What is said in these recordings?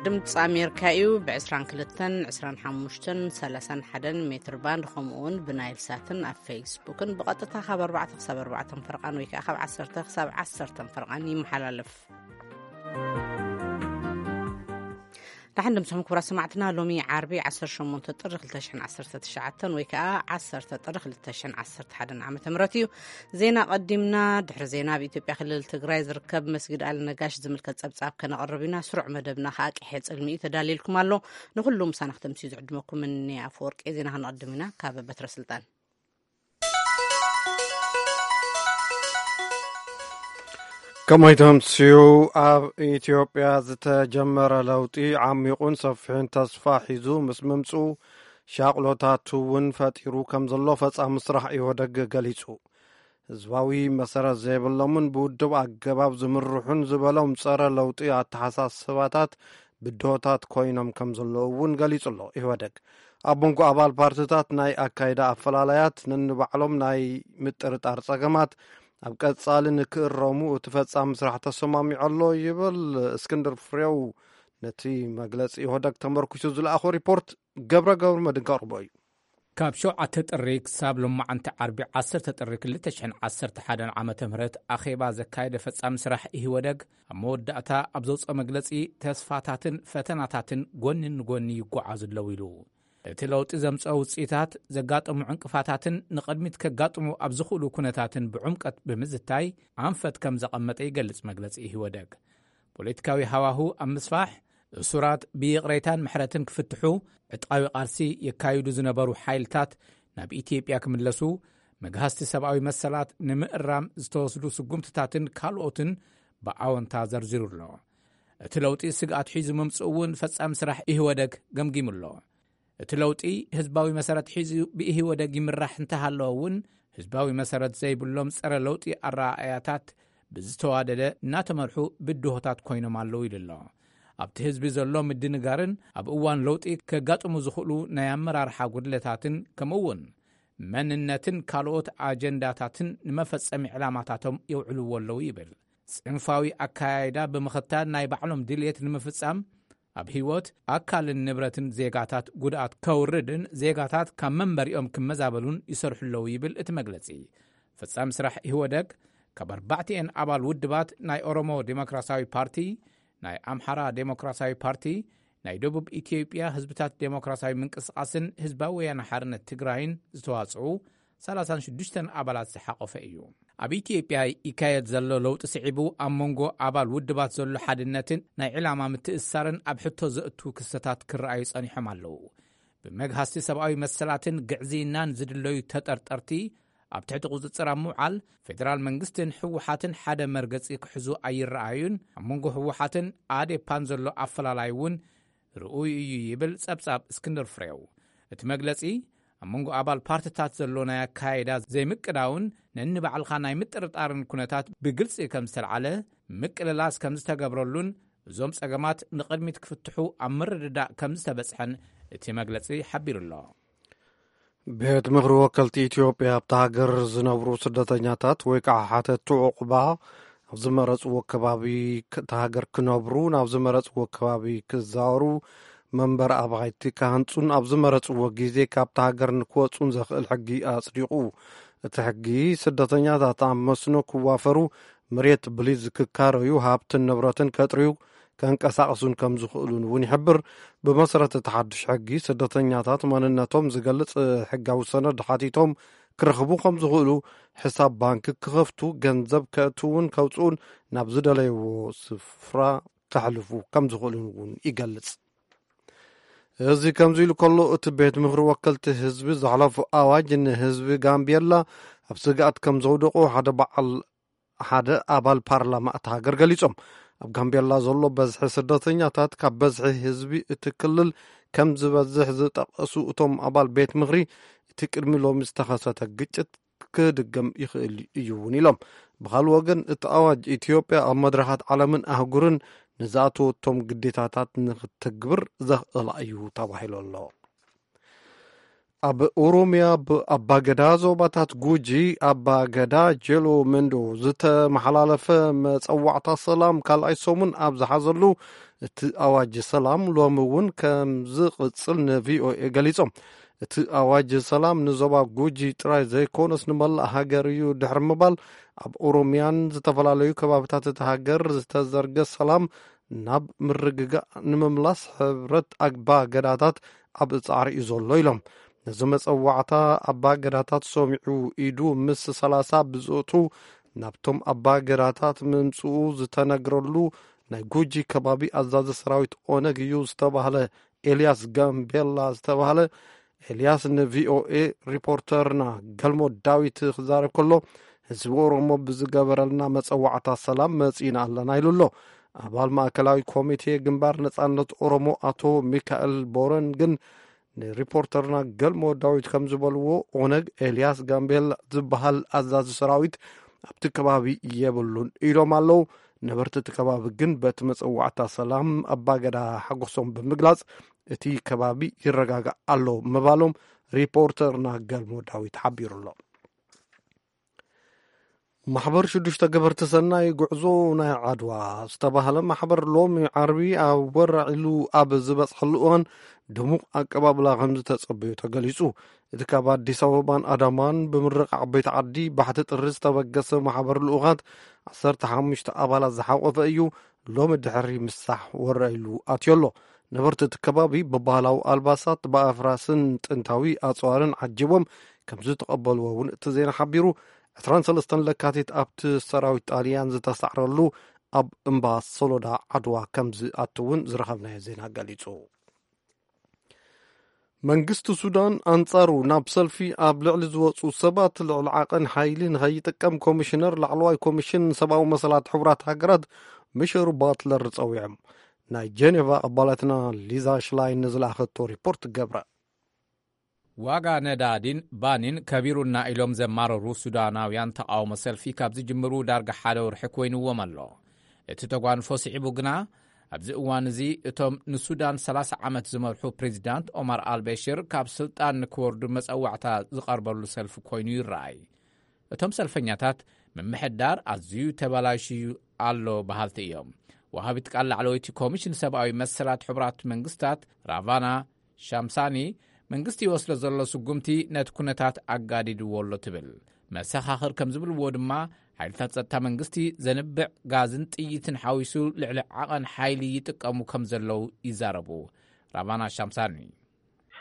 ድምፂ ኣሜሪካ እዩ። ብ22፣ 25፣ 31 ሜትር ባንድ፣ ከምኡ እውን ብናይል ሳትን ኣብ ፌስቡክን ብቐጥታ ካብ ኣርባዕተ ክሳብ ኣርባዕተ ፈርቓን ወይ ከዓ ካብ ዓሰርተ ክሳብ ዓሰርተ ፈርቓን ይመሓላለፍ። ደሓን ድምፅኹም ክቡራት ሰማዕትና። ሎሚ ዓርቢ ዓሰርተ ሸሞንተ ጥሪ ክልተ ሽሕን ዓሰርተ ትሽዓተን ወይ ከዓ ዓሰርተ ጥሪ ክልተ ሽሕን ዓሰርተ ሓደን ዓመተ ምህረት እዩ። ዜና ቀዲምና። ድሕሪ ዜና፣ ኣብ ኢትዮጵያ ክልል ትግራይ ዝርከብ መስጊድ ኣልነጋሽ ዝምልከት ጸብጻብ ከነቕርብ ኢና። ስሩዕ መደብና ከኣ ቅሐ ጽልሚ እዩ ተዳልየልኩም ኣሎ። ንኹሉ ምሳና ክተምስዩ ዝዕድመኩም እኒ ኣፈወርቂ። ዜና ክንቐድም ኢና ካብ በትረ ስልጣን። ከመይ ተምስዩ? ኣብ ኢትዮጵያ ዝተጀመረ ለውጢ ዓሚቑን ሰፊሕን ተስፋ ሒዙ ምስ ምምጽኡ፣ ሻቕሎታት እውን ፈጢሩ ከም ዘሎ ፈጻሚ ስራሕ ኢህወደግ ገሊጹ። ህዝባዊ መሰረት ዘይብሎምን ብውድብ ኣገባብ ዝምርሑን ዝበሎም ጸረ ለውጢ ኣተሓሳስባታት ብድሆታት ኮይኖም ከም ዘለዉ እውን ገሊጹ ኣሎ ኢህወደግ። ኣብ መንጎ ኣባል ፓርትታት ናይ ኣካይዳ ኣፈላላያት፣ ነንባዕሎም ናይ ምጥርጣር ጸገማት፣ ኣብ ቀጻሊ ንክእረሙ እቲ ፈጻሚ ስራሕ ተሰማሚዑ ኣሎ ይብል እስክንድር ፍሬው። ነቲ መግለጺ ኢህወደግ ተመርኩሱ ዝለኣኾ ሪፖርት ገብረ ገብረ መድንካ ኣቕርቦ እዩ። ካብ ሸውዓተ ጥሪ ክሳብ ሎማዓንቲ ዓርቢ ዓሰርተ ጥሪ ክልተ ሽሕን ዓሰርተ ሓደን ዓመተ ምህረት ኣኼባ ዘካየደ ፈጻሚ ስራሕ ኢህወደግ፣ ኣብ መወዳእታ ኣብ ዘውፅኦ መግለጺ፣ ተስፋታትን ፈተናታትን ጎኒ ንጎኒ ይጓዓዙ ኣለዉ ኢሉ። እቲ ለውጢ ዘምፅኦ ውፅኢታት፣ ዘጋጠሙ ዕንቅፋታትን ንቕድሚት ከጋጥሙ ኣብ ዝኽእሉ ኩነታትን ብዕምቀት ብምዝታይ፣ ኣንፈት ከም ዘቐመጠ ይገልጽ መግለጺ ኢህወደግ። ፖለቲካዊ ሃዋሁ ኣብ ምስፋሕ፣ እሱራት ብይቕሬታን ምሕረትን ክፍትሑ፣ ዕጥቃዊ ቃልሲ የካይዱ ዝነበሩ ሓይልታት ናብ ኢትዮጵያ ክምለሱ፣ መግሃስቲ ሰብኣዊ መሰላት ንምእራም ዝተወስዱ ስጉምትታትን ካልኦትን ብኣወንታ ዘርዚሩ ኣሎ። እቲ ለውጢ ስግኣት ሒዙ ምምጽኡ እውን ፈጻሚ ስራሕ ኢህወደግ ገምጊሙ ኣሎ። እቲ ለውጢ ህዝባዊ መሰረት ሒዙ ብኢህወደግ ይምራሕ እንተሃለወ እውን፣ ህዝባዊ መሰረት ዘይብሎም ጸረ ለውጢ ኣረኣእያታት ብዝተዋደደ እናተመርሑ ብድሆታት ኮይኖም ኣለዉ ኢሉ ኣሎ። ኣብቲ ህዝቢ ዘሎ ምድንጋርን ኣብ እዋን ለውጢ ከጋጥሙ ዝኽእሉ ናይ ኣመራርሓ ጉድለታትን፣ ከምኡ እውን መንነትን ካልኦት ኣጀንዳታትን ንመፈጸሚ ዕላማታቶም የውዕልዎ ኣለዉ ይብል። ጽንፋዊ ኣካያይዳ ብምኽታል፣ ናይ ባዕሎም ድልየት ንምፍጻም ኣብ ህይወት፣ ኣካልን ንብረትን ዜጋታት ጉድኣት ከውርድን ዜጋታት ካብ መንበሪኦም ክመዛበሉን ይሰርሑ ኣለዉ ይብል እቲ መግለጺ። ፈጻሚ ስራሕ ኢህወደግ፣ ካብ ኣርባዕቲኤን ኣባል ውድባት፣ ናይ ኦሮሞ ዴሞክራሲያዊ ፓርቲ፣ ናይ ኣምሓራ ዴሞክራሲያዊ ፓርቲ፣ ናይ ደቡብ ኢትዮጵያ ህዝብታት ዴሞክራሲያዊ ምንቅስቃስን ህዝባዊ ወያነ ሓርነት ትግራይን ዝተዋጽኡ ሰላሳን ሽዱሽተን ኣባላት ዝሓቆፈ እዩ። ኣብ ኢትዮጵያ ይካየድ ዘሎ ለውጢ ስዒቡ፣ ኣብ መንጎ ኣባል ውድባት ዘሎ ሓድነትን ናይ ዕላማ ምትእስሳርን ኣብ ሕቶ ዘእቱ ክስተታት ክረኣዩ ጸኒሖም ኣለዉ። ብመግሃስቲ ሰብኣዊ መሰላትን ግዕዝይናን ዝድለዩ ተጠርጠርቲ ኣብ ትሕቲ ቁጽጽር ኣብ ምውዓል፣ ፌደራል መንግስትን ህወሓትን ሓደ መርገጺ ክሕዙ ኣይረኣዩን። ኣብ መንጎ ህወሓትን ኣዴፓን ዘሎ ኣፈላላይ እውን ርኡይ እዩ ይብል ጸብጻብ እስክንድር ፍሬው። እቲ መግለጺ፣ ኣብ መንጎ ኣባል ፓርትታት ዘሎ ናይ ኣካያይዳ ዘይምቅዳውን ነንባዕልኻ ናይ ምጥርጣርን ኩነታት ብግልጺ ከም ዝተልዓለ፣ ምቅልላስ ከም ዝተገብረሉን፣ እዞም ጸገማት ንቕድሚት ክፍትሑ ኣብ ምርድዳእ ከም ዝተበጽሐን እቲ መግለጺ ሓቢሩ ኣሎ። ቤት ምኽሪ ወከልቲ ኢትዮጵያ ኣብታ ሃገር ዝነብሩ ስደተኛታት ወይ ከዓ ሓተትቲ ዑቕባ ኣብ ዝመረፅዎ ከባቢ ክ-፣ እታ ሃገር ክነብሩ፣ ናብ ዝመረፅዎ ከባቢ ክዛወሩ፣ መንበሪ ኣባይቲ ክሃንፁን ኣብ ዝመረፅዎ ግዜ ካብታ ሃገር ንክወፁን ዘኽእል ሕጊ ኣፅዲቑ። እቲ ሕጊ ስደተኛታት ኣብ መስኖ ክዋፈሩ፣ መሬት ብሊዝ ክካረዩ፣ ሃብትን ንብረትን ከጥርዩ፣ ከንቀሳቕሱን ከም ዝኽእሉን እውን ይሕብር። ብመሰረት እቲ ሓድሽ ሕጊ፣ ስደተኛታት መንነቶም ዝገልጽ ሕጋዊ ሰነድ ሓቲቶም ክረኽቡ ከም ዝኽእሉ፣ ሕሳብ ባንክ ክኸፍቱ፣ ገንዘብ ከእትውን ከውጽኡን ናብ ዝደለይዎ ስፍራ ከሕልፉ ከም ዝኽእሉን እውን ይገልጽ። እዚ ከምዚ ኢሉ ከሎ፣ እቲ ቤት ምኽሪ ወከልቲ ህዝቢ ዘሕለፎ ኣዋጅ ንህዝቢ ጋምቤላ ኣብ ስግኣት ከም ዘውደቆ ሓደ በዓል ሓደ ኣባል ፓርላማ እታ ሃገር ገሊጾም። ኣብ ጋምቤላ ዘሎ በዝሒ ስደተኛታት ካብ በዝሒ ህዝቢ እቲ ክልል ከም ዝበዝሕ ዝጠቐሱ እቶም ኣባል ቤት ምኽሪ፣ እቲ ቅድሚ ሎሚ ዝተኸሰተ ግጭት ክድገም ይኽእል እዩ እውን ኢሎም። ብኻልእ ወገን፣ እቲ ኣዋጅ ኢትዮጵያ ኣብ መድረኻት ዓለምን ኣህጉርን ንዝኣተወቶም ግዴታታት ንክትግብር ዘኽእላ እዩ ተባሂሉ ኣሎ። ኣብ ኦሮምያ ብኣባገዳ ዞባታት ጉጂ ኣባገዳ ጀሎ መንዶ ዝተመሓላለፈ መጸዋዕታ ሰላም ካልኣይ ሰሙን ኣብ ዝሓዘሉ፣ እቲ ኣዋጅ ሰላም ሎሚ እውን ከም ዝቕጽል ንቪኦኤ ገሊጾም። እቲ ኣዋጅ ሰላም ንዞባ ጉጂ ጥራይ ዘይኮነስ ንመላእ ሃገር እዩ ድሕሪ ምባል፣ ኣብ ኦሮምያን ዝተፈላለዩ ከባብታት እቲ ሃገር ዝተዘርገ ሰላም ናብ ምርግጋእ ንምምላስ ሕብረት ኣባ ገዳታት ኣብ ጻዕሪ እዩ ዘሎ ኢሎም። ነዚ መጸዋዕታ ኣባ ገዳታት ሰሚዑ ኢዱ ምስ ሰላሳ ብዝእቱ ናብቶም ኣባ ገዳታት ምምጽኡ ዝተነግረሉ ናይ ጉጂ ከባቢ ኣዛዚ ሰራዊት ኦነግ እዩ ዝተባህለ ኤልያስ ጋምቤላ ዝተባህለ ኤልያስ ንቪኦኤ ሪፖርተርና ገልሞ ዳዊት ክዛረብ ከሎ፣ ህዝቢ ኦሮሞ ብዝገበረልና መጸዋዕታ ሰላም መጺእና ኣለና ኢሉ ኣሎ። ኣባል ማእከላዊ ኮሚቴ ግንባር ነጻነት ኦሮሞ ኣቶ ሚካኤል ቦረን ግን ንሪፖርተርና ገልሞ ዳዊት ከም ዝበልዎ፣ ኦነግ ኤልያስ ጋምቤላ ዝበሃል ኣዛዚ ሰራዊት ኣብቲ ከባቢ የብሉን ኢሎም ኣለዉ። ነበርቲ እቲ ከባቢ ግን በቲ መጸዋዕታ ሰላም ኣባገዳ ሓጎሶም ብምግላጽ፣ እቲ ከባቢ ይረጋጋእ ኣሎ ምባሎም ሪፖርተርና ገልሞ ዳዊት ሓቢሩ ኣሎ። ማሕበር ሽዱሽተ ገበርቲ ሰናይ ጉዕዞ ናይ ዓድዋ ዝተባህለ ማሕበር ሎሚ ዓርቢ ኣብ ወራዒሉ ኣብ ዝበጽሐሉ እዋን ድሙቕ ኣቀባብላ ከም ዝተጸበዩ ተገሊጹ። እቲ ካብ ኣዲስ ኣበባን ኣዳማን ብምርቕ ዓበይቲ ዓዲ ባሕቲ ጥሪ ዝተበገሰ ማሕበር ልኡኻት ዓሰርተ ሓሙሽተ ኣባላት ዝሓቆፈ እዩ። ሎሚ ድሕሪ ምሳሕ ወራዒሉ ኣትዮ ኣሎ። ነበርቲ እቲ ከባቢ ብባህላዊ ኣልባሳት፣ ብኣፍራስን ጥንታዊ ኣጽዋርን ዓጂቦም ከም ዝተቐበልዎ እውን እቲ ዜና ሓቢሩ። ዕስራን ሰለስተን ለካቲት ኣብቲ ሰራዊት ጣልያን ዝተሳዕረሉ ኣብ እምባ ሶሎዳ ዓድዋ ከም ዝኣቱ እውን ዝረኸብናዮ ዜና ገሊጹ። መንግስቲ ሱዳን ኣንጻሩ ናብ ሰልፊ ኣብ ልዕሊ ዝወጹ ሰባት ልዕሊ ዓቐን ሓይሊ ንኸይጥቀም ኮሚሽነር ላዕለዋይ ኮሚሽን ሰብኣዊ መሰላት ሕቡራት ሃገራት ሚሸል ባትለር ጸዊዖም። ናይ ጀኔቫ ኣባላትና ሊዛ ሽላይን ንዝለኣኸቶ ሪፖርት ገብረ። ዋጋ ነዳዲን ባኒን ከቢሩና ኢሎም ዘማረሩ ሱዳናውያን ተቃውሞ ሰልፊ ካብ ዝጅምሩ ዳርጋ ሓደ ወርሒ ኮይንዎም ኣሎ። እቲ ተጓንፎ ስዒቡ ግና ኣብዚ እዋን እዚ እቶም ንሱዳን ሰላሳ ዓመት ዝመርሑ ፕሬዚዳንት ኦማር ኣልበሽር ካብ ስልጣን ንክወርዱ መጸዋዕታ ዝቐርበሉ ሰልፊ ኮይኑ ይረኣይ። እቶም ሰልፈኛታት ምምሕዳር ኣዝዩ ተበላሽዩ ኣሎ በሃልቲ እዮም። ወሃቢት ቃል ላዕለወይቲ ኮሚሽን ሰብኣዊ መሰላት ሕቡራት መንግስታት ራቫና ሻምሳኒ መንግስቲ ይወስዶ ዘሎ ስጉምቲ ነቲ ኩነታት ኣጋዲድዎ ኣሎ ትብል። መሰኻኽር ከም ዝብልዎ ድማ ሓይልታት ጸጥታ መንግስቲ ዘንብዕ ጋዝን ጥይትን ሓዊሱ ልዕሊ ዓቐን ሓይሊ ይጥቀሙ ከም ዘለዉ ይዛረቡ። ራቫና ሻምሳኒ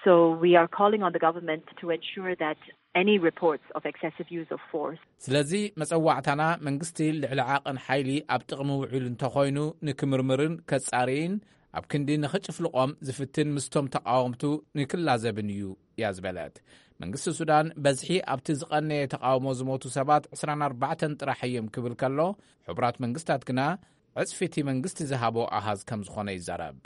So we are calling on the government to ensure that any reports of excessive use of force ስለዚ መጸዋዕታና መንግስቲ ልዕሊ ዓቐን ሓይሊ ኣብ ጥቕሚ ውዒሉ እንተኾይኑ ንክምርምርን ከጻርይን ኣብ ክንዲ ንኽጭፍልቖም ዝፍትን ምስቶም ተቓወምቱ ንክላዘብን እዩ እያ ዝበለት። መንግስቲ ሱዳን በዝሒ ኣብቲ ዝቐነየ ተቓውሞ ዝሞቱ ሰባት ዕስራን ኣርባዕተን ጥራሕ እዮም ክብል ከሎ፣ ሕቡራት መንግስታት ግና ዕጽፊ እቲ መንግስቲ ዝሃቦ ኣሃዝ ከም ዝኾነ ይዛረብ።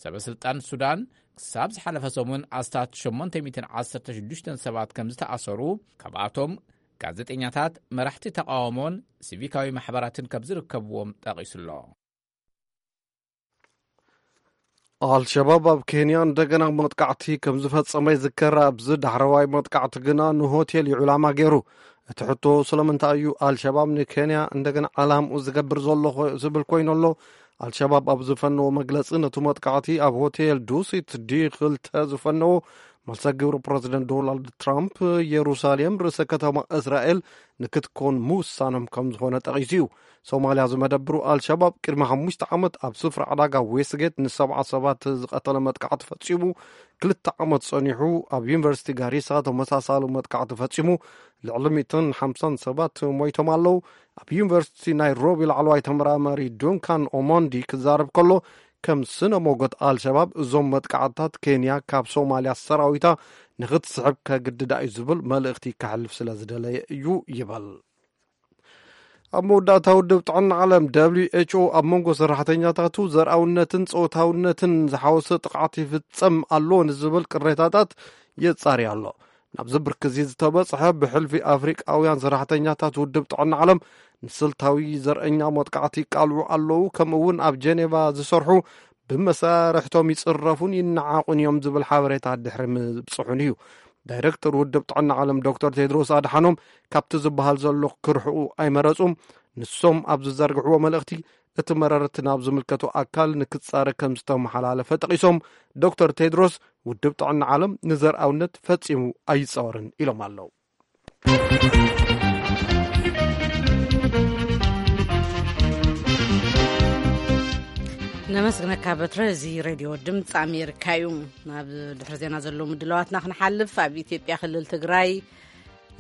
ሰበ ስልጣን ሱዳን ክሳብ ዝሓለፈ ሰሙን ኣስታት ሸሞንተ ሚእትን ዓሰርተ ሽዱሽተን ሰባት ከም ዝተኣሰሩ፣ ካብኣቶም ጋዜጠኛታት፣ መራሕቲ ተቓውሞን ሲቪካዊ ማሕበራትን ከም ዝርከብዎም ጠቒሱ ኣሎ። ኣልሸባብ ኣብ ኬንያ እንደገና መጥቃዕቲ ከም ዝፈጸመ ይዝከር። ኣብዚ ዳሕረዋይ መጥቃዕቲ ግና ንሆቴል እዩ ዕላማ ገይሩ። እቲ ሕቶ ስለምንታይ እዩ ኣልሸባብ ንኬንያ እንደገና ዓላምኡ ዝገብር ዘሎ ዝብል ኮይኑ ኣሎ። ኣልሸባብ ኣብ ዝፈነዎ መግለጺ ነቲ መጥቃዕቲ ኣብ ሆቴል ዱሲት ዲ ክልተ ዝፈነዎ መልሰ ግብሪ ፕረዚደንት ዶናልድ ትራምፕ የሩሳሌም ርእሰ ከተማ እስራኤል ንክትኮን ምውሳኖም ከም ዝኾነ ጠቒሱ እዩ። ሶማልያ ዝመደብሩ ኣልሸባብ ቅድሚ ሓሙሽተ ዓመት ኣብ ስፍራ ዕዳጋ ዌስትጌት ንሰብዓ ሰባት ዝቐተለ መጥቃዕቲ ፈጺሙ። ክልተ ዓመት ጸኒሑ ኣብ ዩኒቨርሲቲ ጋሪሳ ተመሳሳሊ መጥቃዕቲ ፈጺሙ። ልዕሊ ሚእትን ሓምሳን ሰባት ሞይቶም ኣለዉ። ኣብ ዩኒቨርሲቲ ናይሮቢ ላዕለዋይ ተመራማሪ ዱንካን ኦሞንዲ ክዛረብ ከሎ፣ ከም ስነ ሞጎት ኣልሸባብ እዞም መጥቃዕትታት ኬንያ ካብ ሶማልያ ሰራዊታ ንክትስሕብ ከግድዳ እዩ ዝብል መልእኽቲ ከሕልፍ ስለ ዝደለየ እዩ ይበል። ኣብ መወዳእታ ውድብ ጥዕና ዓለም ደብሊው ኤች ኦ ኣብ መንጎ ሰራሕተኛታቱ ዘርኣውነትን ጾታውነትን ዝሓወሰ ጥቕዓት ይፍጸም ኣሎ ንዝብል ቅሬታታት የጻሪ ኣሎ። ናብዚ ብርኪ እዚ ዝተበጽሐ ብሕልፊ ኣፍሪቃውያን ሰራሕተኛታት ውድብ ጥዕና ዓለም ንስልታዊ ዘርእኛ መጥቃዕቲ ይቃልዑ ኣለዉ፣ ከምኡ እውን ኣብ ጀኔቫ ዝሰርሑ ብመሳርሕቶም ይጽረፉን ይነዓቑን እዮም ዝብል ሓበሬታ ድሕሪ ምብጽሑን እዩ። ዳይረክተር ውድብ ጥዕና ዓለም ዶክተር ቴድሮስ ኣድሓኖም ካብቲ ዝበሃል ዘሎ ክርሕኡ ኣይመረጹም። ንሶም ኣብ ዝዘርግሕዎ መልእኽቲ፣ እቲ መረርቲ ናብ ዝምልከቶ ኣካል ንክጻረ ከም ዝተመሓላለፈ ጠቒሶም፣ ዶክተር ቴድሮስ ውድብ ጥዕና ዓለም ንዘርኣውነት ፈጺሙ ኣይጻወርን ኢሎም ኣለዉ። ነመስግነካ በትረ። እዚ ሬድዮ ድምፂ ኣሜሪካ እዩ። ናብ ድሕሪ ዜና ዘለዉ ምድላዋትና ክንሓልፍ፣ ኣብ ኢትዮጵያ ክልል ትግራይ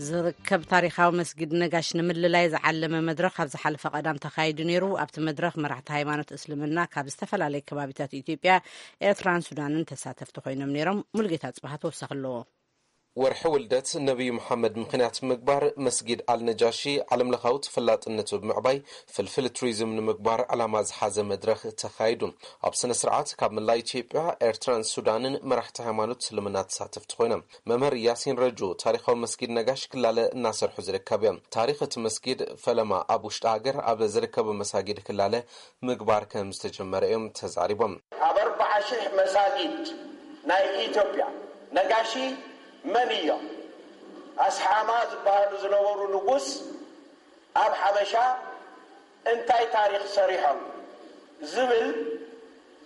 ዝርከብ ታሪኻዊ መስጊድ ነጋሽ ንምልላይ ዝዓለመ መድረኽ ኣብ ዝሓለፈ ቀዳም ተኻይዱ ነይሩ። ኣብቲ መድረኽ መራሕቲ ሃይማኖት እስልምና ካብ ዝተፈላለዩ ከባቢታት ኢትዮጵያ፣ ኤርትራን ሱዳንን ተሳተፍቲ ኮይኖም ነይሮም። ሙሉጌታ ጽባሃ ተወሳኺ ኣለዎ። ወርሒ ውልደት ነቢዩ መሓመድ ምኽንያት ምግባር፣ መስጊድ ኣልነጃሺ ዓለምለኻዊ ተፈላጥነቱ ብምዕባይ ፍልፍል ቱሪዝም ንምግባር ዕላማ ዝሓዘ መድረኽ ተኻይዱ። ኣብ ስነ ስርዓት ካብ መላእ ኢትዮጵያ፣ ኤርትራን ሱዳንን መራሕቲ ሃይማኖት እስልምና ተሳተፍቲ ኮይኖም። መምህር ያሲን ረጁ፣ ታሪኻዊ መስጊድ ነጋሽ ክላለ እናሰርሑ ዝርከብ እዮም። ታሪኽ እቲ መስጊድ ፈለማ ኣብ ውሽጢ ሃገር ኣብ ዝርከቡ መሳጊድ ክላለ ምግባር ከም ዝተጀመረ እዮም ተዛሪቦም። ኣብ ኣርባዓ ሽሕ መሳጊድ ናይ ኢትዮጵያ ነጋሺ መን እዮም? ኣስሓማ ዝበሃሉ ዝነበሩ ንጉስ ኣብ ሓበሻ እንታይ ታሪኽ ሰሪሖም ዝብል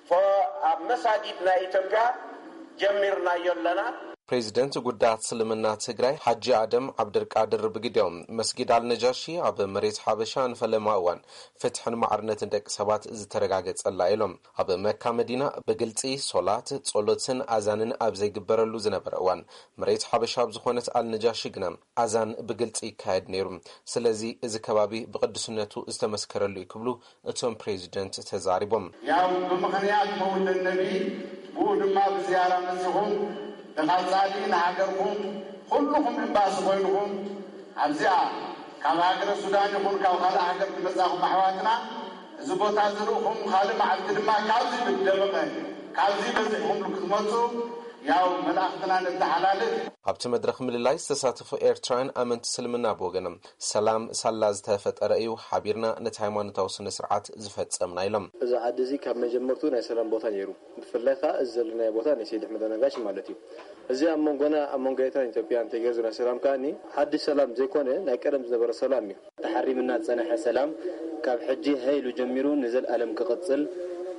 ፎ-፣ ኣብ መሳጊድ ናይ ኢትዮጵያ ጀሚርናዮ ኣለና። ፕሬዚደንት ጉዳያት እስልምና ትግራይ ሓጂ ኣደም ዓብደልቃድር ብግዲኦም፣ መስጊድ ኣልነጃሺ ኣብ መሬት ሓበሻ ንፈለማ እዋን ፍትሕን ማዕርነትን ደቂ ሰባት ዝተረጋገጸላ ኢሎም። ኣብ መካ መዲና ብግልጺ ሶላት፣ ጸሎትን ኣዛንን ኣብ ዘይግበረሉ ዝነበረ እዋን፣ መሬት ሓበሻ ኣብ ዝኾነት ኣልነጃሺ ግና ኣዛን ብግልጺ ይካየድ ነይሩ። ስለዚ እዚ ከባቢ ብቅዱስነቱ ዝተመስከረሉ እዩ ክብሉ እቶም ፕሬዚደንት ተዛሪቦም። ያው ብምኽንያት መውለድ ነቢ፣ ብኡ ድማ ብዝያራ መጺኹም ንቐጻሊ ንሃገርኩም ኩልኹም ኤምባሲ ኮይንኹም ኣብዚኣ ካብ ሃገረ ሱዳን ይኹን ካብ ካልእ ሃገር ዝመጻኹም ኣሕዋትና እዚ ቦታ ዝርእኹም፣ ካልእ መዓልቲ ድማ ካብዚ ብደመቐ፣ ካብዚ በዚሕኹም ክትመጹ ያው መልእኽትና ነተሓላልፍ። ኣብቲ መድረኽ ምልላይ ዝተሳተፉ ኤርትራውያን ኣመንቲ እስልምና ብወገኖም፣ ሰላም ሳላ ዝተፈጠረ እዩ፣ ሓቢርና ነቲ ሃይማኖታዊ ስነ ስርዓት ዝፈጸምና ኢሎም። እዚ ዓዲ እዚ ካብ መጀመርቱ ናይ ሰላም ቦታ ነይሩ። ብፍላይ ከዓ እዚ ዘለናዮ ቦታ ናይ ሰይድ ኣሕመድ ኣልነጋሽ ማለት እዩ። እዚ ኣብ መንጎና፣ ኣብ መንጎ ኤርትራን ኢትዮጵያን ተገይሩ ዘሎ ሰላም ከኣኒ ሓድሽ ሰላም ዘይኮነ ናይ ቀደም ዝነበረ ሰላም እዩ። ተሓሪምና ዝጸንሐ ሰላም ካብ ሕጂ ሃይሉ ጀሚሩ ንዘልኣለም ክቕጽል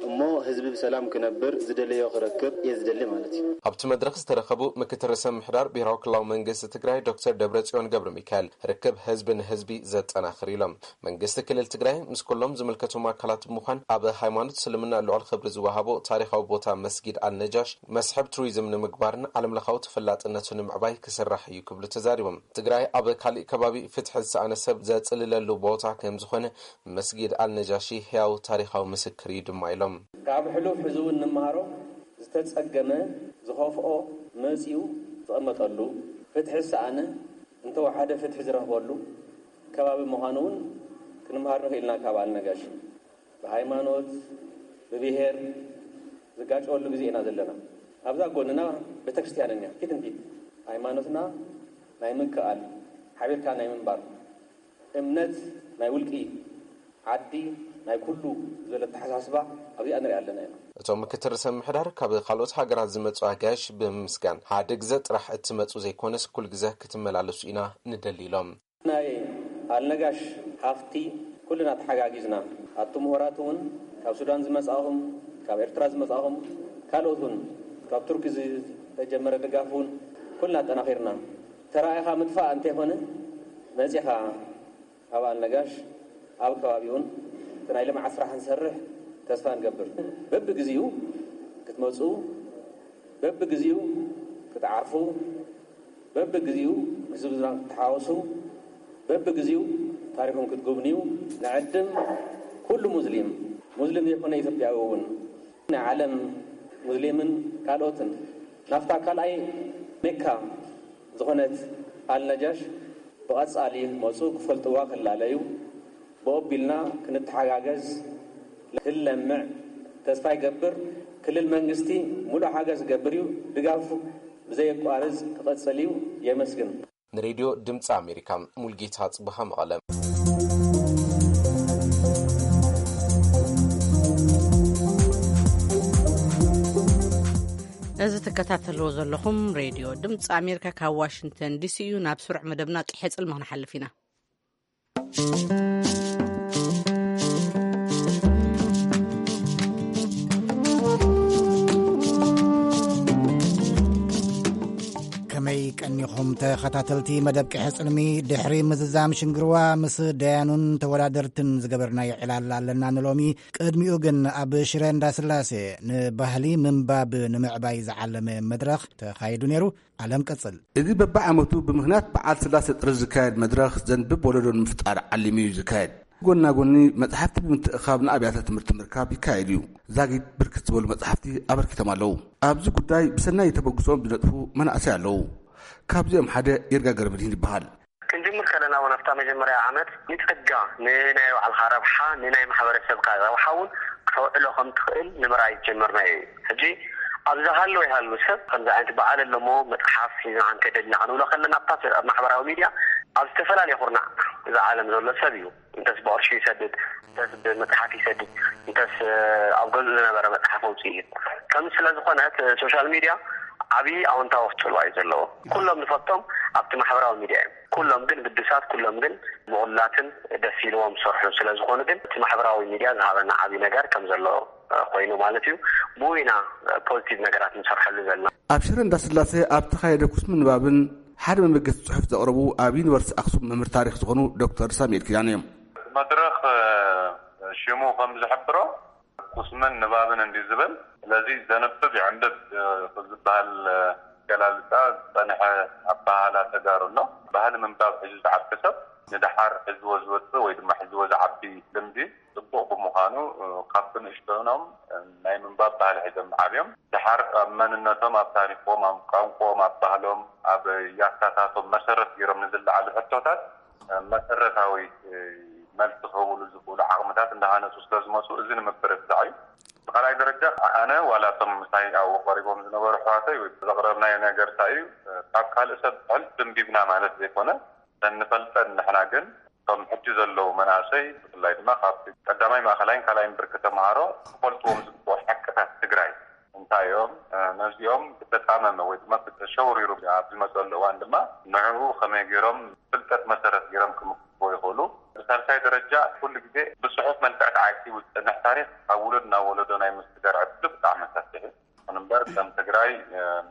እሞ ህዝቢ ብሰላም ክነብር ዝደለዮ ክረክብ እየ ዝደሊ ማለት እዩ። ኣብቲ መድረኽ ዝተረኸቡ ምክትል ርእሰ ምምሕዳር ብሄራዊ ክልላዊ መንግስቲ ትግራይ ዶክተር ደብረጽዮን ገብረ ሚካኤል፣ ርክብ ህዝቢ ንህዝቢ ዘጠናኽር ኢሎም። መንግስቲ ክልል ትግራይ ምስ ኩሎም ዝምልከቶም ኣካላት ብምዃን ኣብ ሃይማኖት እስልምና ልዑል ክብሪ ዝወሃቦ ታሪኻዊ ቦታ መስጊድ ኣልነጃሽ መስሕብ ቱሪዝም ንምግባርን ዓለምለኻዊ ተፈላጥነቱ ንምዕባይ ክስራሕ እዩ ክብሉ ተዛሪቦም። ትግራይ ኣብ ካሊእ ከባቢ ፍትሒ ዝሰኣነ ሰብ ዘጽልለሉ ቦታ ከም ዝኾነ መስጊድ ኣልነጃሺ ህያው ታሪኻዊ ምስክር እዩ ድማ ኢሎም። ካብ ሕሉፍ ሕዚ እውን ንመሃሮ። ዝተጸገመ፣ ዝኸፍኦ መጺኡ ዝቐመጠሉ፣ ፍትሒ ዝሰኣነ እንተወሓደ ፍትሒ ዝረኽበሉ ከባቢ ምዃኑ እውን ክንመሃር ንኽእል ኢና ካብ ኣልነጋሺ። ብሃይማኖት፣ ብብሄር ዝጋጨወሉ ግዜ ኢና ዘለና። ኣብዛ ጎንና ቤተክርስትያን እኒኣ፣ ፊት ንፊት። ሃይማኖትና ናይ ምክኣል፣ ሓቢርካ ናይ ምንባር፣ እምነት ናይ ውልቂ፣ ዓዲ ናይ ኩሉ ዝበለ ኣተሓሳስባ ኣብዚኣ ንሪኣ ኣለና ኢና። እቶም ምክትል ርእሰ ምምሕዳር፣ ካብ ካልኦት ሃገራት ዝመጹ ኣጋይሽ ብምምስጋን፣ ሓደ ግዘ ጥራሕ እትመጹ ዘይኮነስ፣ ኩል ግዘ ክትመላለሱ ኢና ንደሊ ኢሎም። ናይ ኣልነጋሽ ሃፍቲ ኩልና ተሓጋጊዝና፣ ኣቱም ምሁራት እውን፣ ካብ ሱዳን ዝመጻኹም፣ ካብ ኤርትራ ዝመጻኹም፣ ካልኦት እውን፣ ካብ ቱርኪ ዝተጀመረ ድጋፍ እውን ኩልና ኣጠናኺርና፣ ተራኢኻ ምጥፋእ እንተይኮነ፣ መጺኻ ኣብ ኣልነጋሽ፣ ኣብ ከባቢኡን እቲ ናይ ልምዓት ስራሕ ንሰርሕ ተስፋ ንገብር። በብግዜኡ ክትመጹ፣ በብግዜኡ ክትዓርፉ፣ በብግዜኡ ምስ ህዝብና ክትተሓዋወሱ፣ በብግዜኡ ታሪኹም ክትጉብንዩ ንዕድም። ኩሉ ሙስሊም፣ ሙስሊም ዘይኮነ ኢትዮጵያዊ እውን፣ ናይ ዓለም ሙስሊምን ካልኦትን ናብታ ካልኣይ ሜካ ዝኾነት ኣልነጃሽ ብቐጻሊ ክመጹ ክፈልጥዋ ክላለዩ ብኦቢልና ክንተሓጋገዝ ክለምዕ ተስፋ ይገብር። ክልል መንግስቲ ሙሉእ ሓገዝ ክገብር እዩ። ድጋፉ ብዘየቋርጽ ክቐጽል እዩ። የመስግን። ንሬድዮ ድምፂ ኣሜሪካ፣ ሙልጌታ ጽብሃ፣ መቐለ። እዚ ትከታተልዎ ዘለኹም ሬድዮ ድምፂ ኣሜሪካ ካብ ዋሽንግተን ዲሲ እዩ። ናብ ስሩዕ መደብና ቂሐ ጽልሚ ክንሓልፍ ኢና። ከመይ ቀኒኹም ተኸታተልቲ መደብ ቅሐ ጽልሚ? ድሕሪ ምዝዛም ሽንግርዋ ምስ ደያኑን ተወዳደርትን ዝገበርናዮ ዕላል ኣለና ንሎሚ። ቅድሚኡ ግን ኣብ ሽረ እንዳስላሴ ንባህሊ ምንባብ ንምዕባይ ዝዓለመ መድረኽ ተኻይዱ ነይሩ። ኣለም ቀጽል። እዚ በብዓመቱ ብምኽንያት በዓል ስላሴ ጥሪ ዝካየድ መድረኽ ዘንብብ ወለዶ ንምፍጣር ዓሊሙ እዩ ዝካየድ። ጎና ጎኒ መጽሓፍቲ ብምትእኻብ ንኣብያተ ትምህርቲ ምርካብ ይካየድ እዩ። ዛጊት ብርክት ዝበሉ መጽሓፍቲ ኣበርኪቶም ኣለዉ። ኣብዚ ጉዳይ ብሰናይ ተበግሶም ዝነጥፉ መናእሰይ ኣለዉ። ካብዚኦም ሓደ ይርጋ ገረመድህን ይበሃል። ክንጅምር ከለና እውን ኣብታ መጀመርያ ዓመት ንጸጋ ንናይ ባዕልኻ ረብሓ ንናይ ማሕበረሰብካ ረብሓ እውን ክተውዕሎ ከም ትኽእል ንምርኣይ ጀመርናዮ እዩ። ሕጂ ኣብ ዝሃለወ ይሃሉ ሰብ ከምዚ ዓይነት በዓል ኣለሞ መጽሓፍ ሒዝና ክንከደልና ክንብሎ ከለና ኣብታ ማሕበራዊ ሚድያ ኣብ ዝተፈላለየ ኩርናዕ እዚ ዓለም ዘሎ ሰብ እዩ። እንተስ ብቕርሺ ይሰድድ፣ እንተስ ብመጽሓፍ ይሰድድ፣ እንተስ ኣብ ገዝኡ ዝነበረ መጽሓፍ ኣውፅኡ እዩ። ከም ስለ ዝኾነ እቲ ሶሻል ሚድያ ዓብዪ ኣወንታዊ ክፅልዋ እዩ ዘለዎ። ኩሎም ንፈልጦም ኣብቲ ማሕበራዊ ሚድያ እዮም። ኩሎም ግን ግዱሳት፣ ኩሎም ግን ምቑላትን ደስ ኢልዎም ዝሰርሑ ስለ ዝኾኑ ግን እቲ ማሕበራዊ ሚድያ ዝሃበና ዓብዪ ነገር ከም ዘሎ ኮይኑ ማለት እዩ። ብኡ ኢና ፖዚቲቭ ነገራት ንሰርሐሉ ዘለና። ኣብ ሽረ እንዳስላሴ ኣብ ተኻየደ ኩስሚ ንባብን ሓደ መበገሲ ጽሑፍ ዘቕረቡ ኣብ ዩኒቨርሲቲ ኣክሱም መምህር ታሪኽ ዝኾኑ ዶክተር ሳሙኤል ኪዳነ እዮም። መድረኽ ሽሙ ከም ዝሕብሮ ኩስምን ንባብን እንዲ ዝብል፣ ስለዚ ዘንብብ ይዕንብብ ክዝበሃል ገላልፃ ዝፀንሐ ኣባህላ ተጋሩ ኣሎ። ባህሊ ምንባብ ሒዙ ዝዓቢ ሰብ ንደሓር ሒዝዎ ዝወፅእ ወይ ድማ ሒዝዎ ዝዓቢ ልምዲ ፅቡቕ ብምዃኑ ካብ ብንእሽቶኖም ናይ ምንባብ ባህሊ ሒዞም ዓብዮም ደሓር ኣብ መንነቶም፣ ኣብ ታሪኮም፣ ኣብ ቋንቋኦም፣ ኣብ ባህሎም፣ ኣብ ያታታቶም መሰረት ገይሮም ንዝለዓሉ ሕቶታት መሰረታዊ መልሲ ክህብሉ ዝኽእሉ ዓቕምታት እንዳሃነፁ ስለዝመፁ እዚ ንምብርትታዕ እዩ። ብካልኣይ ደረጃ ኣነ ዋላ እቶም ምሳይ ኣብኡ ቀሪቦም ዝነበሩ ኣሕዋተይ ወይ ዘቕረብናዮ ነገር እንታይ እዩ፣ ካብ ካልእ ሰብ ብሕልፊ ደንቢብና ማለት ዘይኮነ ንፈልጠን ንሕና ግን እቶም ሕጂ ዘለዉ መናእሰይ ብፍላይ ድማ ካብ ቀዳማይ ማእኸላይን ካልኣይን ብርኪ ተምሃሮ ክፈልጥዎም ዝግብኦም ሓቅታት ትግራይ እንታይ እዮም፣ ነዚኦም ብተጣመመ ወይ ድማ ብተሸውሪሩ ኣብ ዝመፀሉ እዋን ድማ ንዕኡ ከመይ ገይሮም ፍልጠት መሰረት ገይሮም ክምክትዎ ይኽእሉ። ብሳልሳይ ደረጃ ኩሉ ግዜ ብፅሑፍ መልክዕ ተዓቂቡ ዝፀንሕ ታሪኽ ካብ ውሉድ ናብ ወለዶ ናይ ምስግጋር ዕድሉ ብጣዕሚ ሰፊሕ እዩ። ይኹን እምበር ከም ትግራይ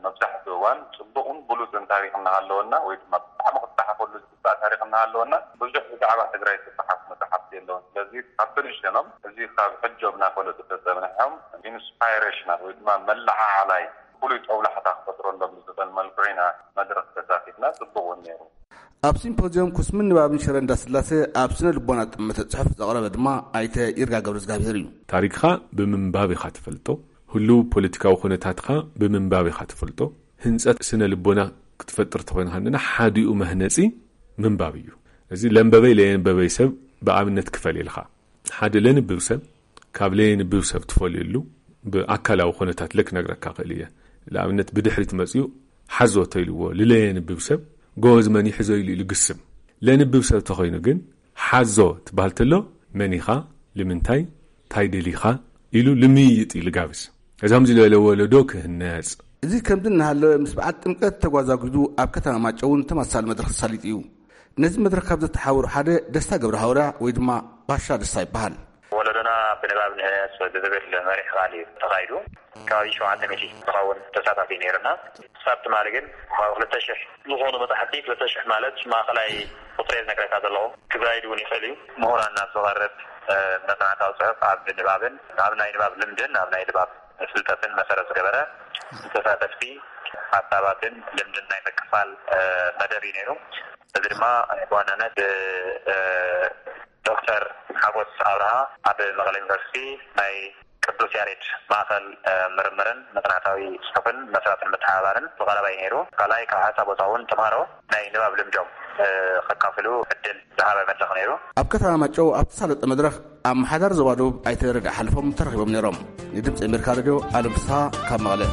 መብዛሕትኡ እዋን ፅቡቕን ብሉፅን ታሪኽ እናሃለወና ወይ ድማ ብጣዕሚ ክፀሓፈሉ ዝግባእ ታሪኽ እናሃለወና ብዙሕ ብዛዕባ ትግራይ ዝፀሓፍ መፅሓፍቲ የለውን። ስለዚ ካብ ብንእሽተኖም እዚ ካብ ሕጆም እናፈለጡ ተፀንሖም ኢንስፓይሬሽናል ወይ ድማ መለዓዓላይ ፍሉይ ጦብላሕታ ክፈጥረሎም ብዝኽእል መልክዑ ኢና መድረኽ ተሳቲፍና። ፅቡቕ እውን ነይሩ። ኣብ ሲምፖዚየም ኩስምን ንባብን ሽረ እንዳስላሴ ኣብ ስነ ልቦና ጠመተ ፅሑፍ ዘቕረበ ድማ ኣይተ ይርጋ ገብረ እግዚኣብሔር እዩ። ታሪኽኻ ብምንባብ ኢኻ ትፈልጦ። ህሉው ፖለቲካዊ ኩነታትኻ ብምንባብ ኢኻ ትፈልጦ። ህንፀት ስነ ልቦና ክትፈጥር ተኾይንካ እንድና ሓዲኡ መህነፂ ምንባብ እዩ። እዚ ለንበበይ ለየንበበይ ሰብ ብኣብነት ክፈል ኢልካ ሓደ ለንብብ ሰብ ካብ ለየንብብ ሰብ ትፈልየሉ ብኣካላዊ ኩነታት ለክነግረካ ክእል እየ። ንኣብነት ብድሕሪት መፅኡ ሓዞ ተይልዎ ልለየንብብ ሰብ ጎበዝ መን ይሕዞ ኢሉ ኢሉ ግስም። ለንብብ ሰብ ተኾይኑ ግን ሓዞ ትበሃል ተሎ መን ኢኻ፣ ልምንታይ፣ ታይ ደሊኻ ኢሉ ልምይይጥ ኢሉ ጋብዝ። እዛም ዝለለ ወለዶ ክህነጽ። እዚ ከምዚ እናሃለወ ምስ በዓል ጥምቀት ተጓዛጒዙ ኣብ ከተማ ማጨውን ተመሳሳሊ መድረኽ ተሳሊጡ እዩ። ነዚ መድረኽ ካብ ዘተሓወሩ ሓደ ደስታ ገብረ ሃውርያ ወይ ድማ ባሻ ደስታ ይበሃል። ወለዶና ብንባብ ንህነጽ ብዝብል መሪሕ ቃል እዩ ተኻይዱ። ከባቢ ሸውዓተ ሚእቲ ዝኸውን ተሳታፊ ነይርና። ክሳብ ትማሊ ግን ካብ ክልተ ሽሕ ዝኾኑ መጻሕፍቲ፣ ክልተ ሽሕ ማለት ማእኸላይ ቁፅሪ ዝነግረካ ዘለኹ፣ ክዛይድ እውን ይኽእል እዩ። ምሁራን ናብ ዝቐርብ መጽናዕታዊ ጽሑፍ ኣብ ንባብን ኣብ ናይ ንባብ ልምድን ኣብ ናይ ንባብ ፍልጠትን መሰረት ዝገበረ ንተሳተፍቲ ሓሳባትን ልምድን ናይ ምክፋል መደብ እዩ ነይሩ። እዚ ድማ ብዋናነት ዶክተር ሓጎስ ኣብርሃ ኣብ መቐለ ዩኒቨርሲቲ ናይ ቅዱስ ያሬድ ማእኸል ምርምርን መጽናዕታዊ ጽሑፍን መስራትን ምትሕብባርን ዝቐረበ እዩ ነይሩ። ካልኣይ ካብ ሓንሳብ ወፃ እውን ተምሃሮ ናይ ንባብ ልምዶም ከካፍሉ ዕድል ዝሃበ መድረኽ ነይሩ። ኣብ ከተማ ማጨው ኣብ ተሳለጠ መድረኽ ኣመሓዳሪ ዞባ ደቡብ ኣይተ ረዳ ሓልፎም ተረኺቦም ነይሮም። ንድምፂ ኣሜሪካ ሬድዮ ኣለም ፍስሃ ካብ መቐለ።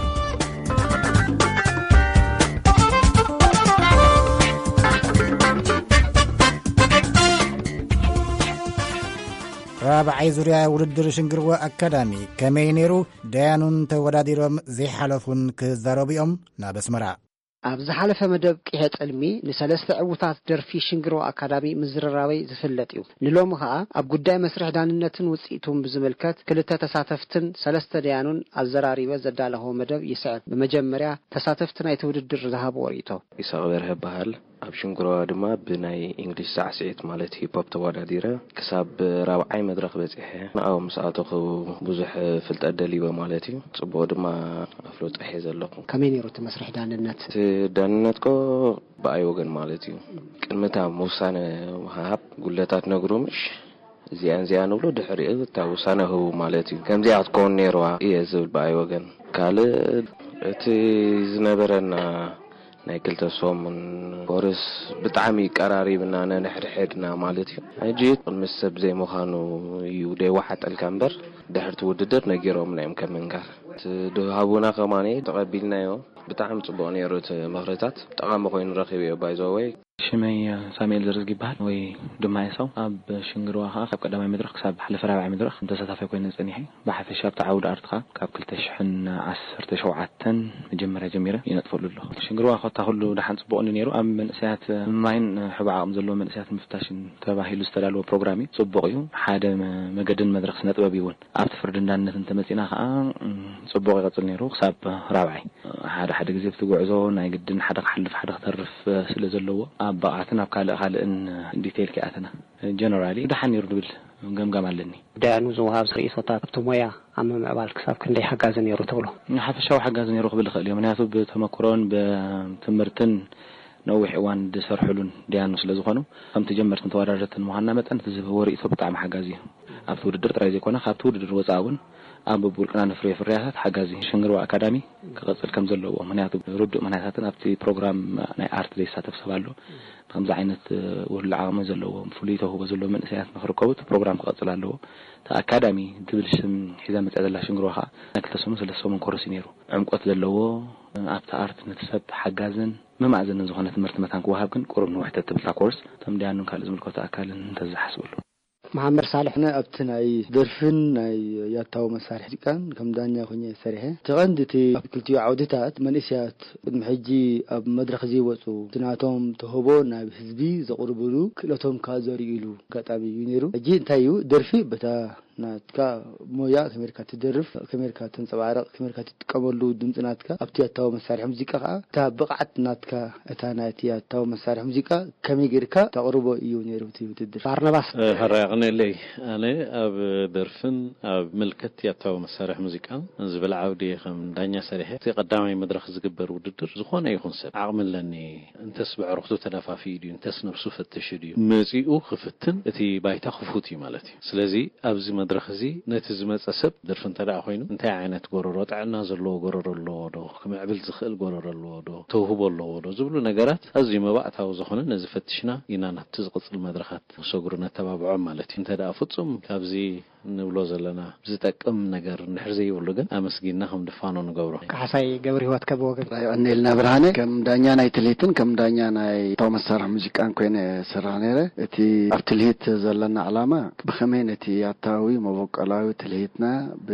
ራብዓይ ዙርያ ውድድር ሽንግርዋ ኣካዳሚ ከመይ ነይሩ? ደያኑን ተወዳዲሮም ዘይሓለፉን ክዛረቡ እዮም። ናብ ኣስመራ። ኣብ ዝሓለፈ መደብ ቂሐ ጽልሚ ንሰለስተ ዕዉታት ደርፊ ሽንግርዋ ኣካዳሚ ምዝርራበይ ዝፍለጥ እዩ። ንሎሚ ኸኣ ኣብ ጉዳይ መስርሕ ዳንነትን ውጽኢቱን ብዝምልከት ክልተ ተሳተፍትን ሰለስተ ደያኑን ኣዘራሪበ ዘዳለኸዎ መደብ ይስዕብ። ብመጀመርያ ተሳተፍቲ ናይቲ ውድድር ዝሃብዎ ርእይቶ። ይስሐቅ በርሀ እበሃል። ኣብ ሽንግርዋ ድማ ብናይ ኢንግሊሽ ሳዕስዒት ማለት ሂፕ ሆፕ ተወዳዲረ ክሳብ ራብዓይ መድረኽ በጺሐ። ንዓኡ ምስ ኣተኹ ብዙሕ ፍልጠት ደሊበ ማለት እዩ። ጽቡቕ ድማ ኣፍልጦ ሒዘ ኣለኹ። ከመይ ነይሩ እቲ መስርሕ ዳንነት? እቲ ዳንነት ኮ ብኣይ ወገን ማለት እዩ። ቅድሚ እታ ውሳነ ምሃብ ጉድለታት ነግሩ ምሽ እዚኣን እዚኣ ንብሎ ድሕሪኡ እታ ውሳነ ህቡ ማለት እዩ። ከምዚኣ ክትከውን ነይርዋ እየ ዝብል ብኣይ ወገን። ካልእ እቲ ዝነበረና ናይ ክልተ ሰሙን ኮርስ ብጣዕሚ ቀራሪብና ነንሕድሕድና ማለት እዩ። ሕጂ ቅድሚ ሰብ ዘይምዃኑ እዩ ደይወሓጠልካ እምበር ድሕርቲ ውድድር ነጊሮምና እዮም ከም ምንጋር። እቲ ድሃቡና ከማኒ ተቐቢልናዮ። ብጣዕሚ ጽቡቕ ነይሩ እቲ ምኽርታት። ጠቓሚ ኮይኑ ረኺበዮ ባይዘወይ። ሽመይ ሳሙኤል ዘርዝጊ ይበሃል ወይ ድማ ኤሳው። ኣብ ሽንግርዋ ከኣ ካብ ቀዳማይ መድረኽ ክሳብ ሓለፈ ራብዓይ መድረኽ ተሳታፋይ ኮይነ ጸኒሐ። ብሓፈሻ ኣብቲ ዓውዲ ኣርትኻ ካብ ክልተ ሽሕን ዓሰርተ ሸውዓተን መጀመርያ ጀሚረ ይነጥፈሉ ኣለኹ። ሽንግርዋ ኮታ ኩሉ ደሓን ጽቡቕ እዩ ነይሩ። ኣብ መንእሰያት ምማይን ሕቡእ ዓቕሚ ዘለዎ መንእሰያት ምፍታሽን ተባሂሉ ዝተዳለወ ፕሮግራም እዩ። ጽቡቕ እዩ። ሓደ መ-፣ መገድን መድረኽ ስነ ጥበብ እዩ እውን። ኣብቲ ፍርዲ እንዳነት እንተመጺና ከኣ፣ እም፣ ጽቡቕ ይቐጽል ነይሩ ክሳብ ራብዓይ። ሓደ ሓደ ግዜ ኣብቲ ጉዕዞ ናይ ግድን ሓደ ክሓልፍ ሓደ ክተርፍ ስለ ዘለዎ ኣብ ብቕዓትን ኣብ ካልእ ካልእን ዲቴይል ከይኣተና ጀነራሊ ደሓን ነይሩ ዝብል ገምጋም ኣለኒ። ደያኑ ዝወሃብ ርእይቶታት ኣብቲ ሞያ ኣብ ምምዕባል ክሳብ ክንደይ ሓጋዚ ነይሩ ትብሎ? ሓፈሻዊ ሓጋዚ ነይሩ ክብል ይኽእል እዩ። ምክንያቱ ብተመክሮን ብትምህርትን ነዊሕ እዋን ዝሰርሕሉን ደያኑ ስለ ዝኾኑ፣ ከምቲ ጀመርትን ተወዳደርትን ምዃንና መጠን እቲ ዝህብዎ ርእይቶ ብጣዕሚ ሓጋዚ እዩ። ኣብቲ ውድድር ጥራይ ዘይኮነ፣ ካብቲ ውድድር ወጻኢ እውን ኣብ በብውልቅና ነፍርዮ ፍርያታት ሓጋዚ ሽንግርዋ ኣካዳሚ ክቐጽል ከም ዘለዎ፣ ምክንያቱ ርዱእ ምክንያታትን ኣብቲ ፕሮግራም ናይ ኣርት ዘይሳተፍ ሰብ ኣሎ። ከምዚ ዓይነት ውህሉል ዓቕሚ ዘለዎም፣ ፍሉይ ተውህቦ ዘለዎም መንእሰያት ንክርከቡ እቲ ፕሮግራም ክቐጽል ኣለዎ። እቲ ኣካዳሚ ትብል ሽም ሒዛ መጽያ ዘላ ሽንግርዋ ኸኣ ናይ ክልተ ሰሙን ሰለስተ ሰሙን ኮርስ እዩ ነይሩ። ዕምቆት ዘለዎ፣ ኣብቲ ኣርት ነቲ ሰብ ሓጋዝን መማእዘንን ዝኾነ ትምህርቲ መታን ክወሃብ ግን ቁሩብ ንውሕ ተትብል እታ ኮርስ፣ እቶም ደያኑን ካልእ ዝምልከቶ ኣካልን እንተዝሓስብሉ። መሓመድ ሳልሕ። ኣነ ኣብቲ ናይ ደርፍን ናይ ያታዊ መሳርሒ ሙዚቃን ከም ዳኛ ኮይነ ሰሪሐ። እቲ ቀንዲ እቲ ኣብ ክልቲኡ ዓውድታት መንእሰያት ቅድሚ ሕጂ ኣብ መድረኽ ዘይወጹ፣ እቲ ናቶም ተውህቦ ናብ ህዝቢ ዘቕርብሉ፣ ክእለቶም ከኣ ዘርእይሉ ኣጋጣሚ እዩ ነይሩ። ሕጂ እንታይ እዩ፣ ደርፊ በታ ናትካ ሞያ ከመይ ጌርካ ትደርፍ፣ ከመይ ጌርካ ተንጸባርቕ፣ ከመይ ጌርካ ትጥቀመሉ ድምጺ ናትካ፣ ኣብቲ ያታዊ መሳርሒ ሙዚቃ ከኣ እታ ብቕዓት ናትካ፣ እታ ናይቲ ያታዊ መሳርሒ ሙዚቃ ከመይ ጌርካ ተቕርቦ እዩ ነይሩ እቲ ውድድር። ባርናባስ። እ፣ ሕራይ ኣቕንየለይ። ኣነ ኣብ ደርፍን ኣብ ምልከት ያታዊ መሳርሒ ሙዚቃን ዝብል ዓውዲ ከም ዳኛ ሰሪሐ፣ እቲ ቀዳማይ መድረኽ ዝግበር ውድድር ዝኾነ ይኹን ሰብ ዓቕሚ ኣለኒ፣ እንተስ ብዕርኽቱ ተደፋፊኡ ድዩ፣ እንተስ ነብሱ ፈትሹ ድዩ፣ መጺኡ ክፍትን እቲ ባይታ ክፉት እዩ ማለት እዩ። ስለዚ ኣብዚ መድረኽ እዚ ነቲ ዝመጸ ሰብ ደርፊ እንተ ደኣ ኮይኑ፣ እንታይ ዓይነት ጎረሮ፣ ጥዕና ዘለዎ ጎረሮ ኣለዎ ዶ፣ ክምዕብል ዝኽእል ጎረሮ ኣለዎ ዶ፣ ተውህቦ ኣለዎ ዶ ዝብሉ ነገራት ኣዝዩ መባእታዊ ዝኾነ ነዚ ፈትሽና ኢና ናብቲ ዝቕጽል መድረኻት ክሰግሩ ነተባብዖም ማለት እዩ። እንተ ደኣ ፍጹም ካብዚ ንብሎ ዘለና ዝጠቅም ነገር እንድሕር ዘይብሉ ግን ኣመስጊንና ከም ድፋኖ ንገብሮ። ካሕሳይ ገብረ ህይወት ከበወገን። የቐንየልና ብርሃነ፣ ከም ዳኛ ናይ ትልሂትን ከም ዳኛ ናይ ያታዊ መሳርሒ ሙዚቃን ኮይነ እሰርሕ ነይረ። እቲ ኣብ ትልሂት ዘለና ዕላማ ብኸመይ ነቲ ያታዊ መበቆላዊ ትልሂትና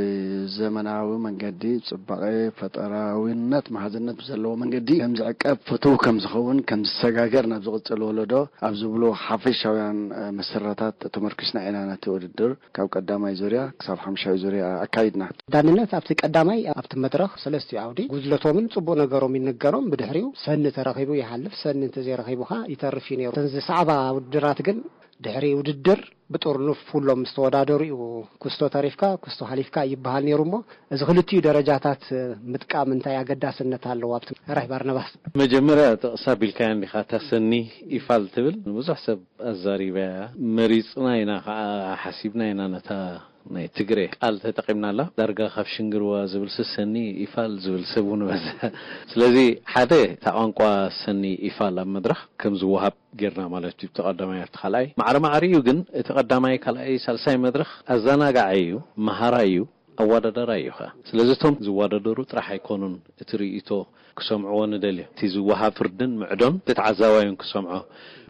ብዘመናዊ መንገዲ፣ ጽባቐ፣ ፈጠራዊነት፣ መሃዝነት ብዘለዎ መንገዲ ከም ዝዕቀብ፣ ፍቱው ከም ዝኸውን፣ ከም ዝሰጋገር ናብ ዝቕጽል ወለዶ ኣብ ዝብሉ ሓፈሻውያን፣ እ፣ መሰረታት ተመርኪስና ኢና ነቲ ውድድር ካብ ቀዳማይ ዙርያ ክሳብ ሓምሻይ ዙርያ ኣካይድና። ዳንነት ኣብቲ ቀዳማይ ኣብቲ መድረኽ ሰለስቲኡ ዓውዲ ጉድለቶምን ጽቡቕ ነገሮም ይንገሮም፣ ብድሕሪኡ ሰኒ ተረኺቡ ይሓልፍ፣ ሰኒ እንተዘይረኺቡ ኸኣ ይተርፍ እዩ ነይሩ። እተን ዝሰዕባ ውድድራት ግን ድሕሪ ውድድር ብጥርኑፍ ኩሎም ምስ ተወዳደሩ እዩ ኩስቶ ተሪፍካ፣ ኩስቶ ሓሊፍካ ይበሃል ነይሩ እሞ፣ እዚ ክልቲኡ ደረጃታት ምጥቃም እንታይ ኣገዳስነት ኣለዎ? ኣብቲ ራይ ባርናባስ። መጀመርያ ጥቕስ ኣቢልካያ እንዲኻ፣ እታ ሰኒ ኢፋል ትብል ንብዙሕ ሰብ ኣዛሪባያ። መሪጽና ኢና ኸዓ፣ ሓሲብና ኢና ነታ ናይ ትግሬ ቃል ተጠቒምናላ። ዳርጋ ካብ ሽንግርዋ ዝብል ሰኒ ኢፋል ዝብል ሰብ እውን በዝሐ። ስለዚ ሓደ እታ ቋንቋ ሰኒ ኢፋል ኣብ መድረኽ ከም ዝወሃብ ጌርና ማለት እዩ። እቲ ቀዳማይ ኣብቲ ካልኣይ ማዕረ ማዕሪኡ ግን እቲ ቀዳማይ፣ ካልኣይ፣ ሳልሳይ መድረኽ ኣዘናጋዓይ እዩ፣ መሃራይ እዩ፣ ኣወዳዳራይ እዩ ኸዓ። ስለዚ እቶም ዝወዳደሩ ጥራሕ ኣይኮኑን እቲ ርእይቶ ክሰምዕዎ ንደልዮ። እቲ ዝወሃብ ፍርድን ምዕዶን ተዓዛባዩን ክሰምዖ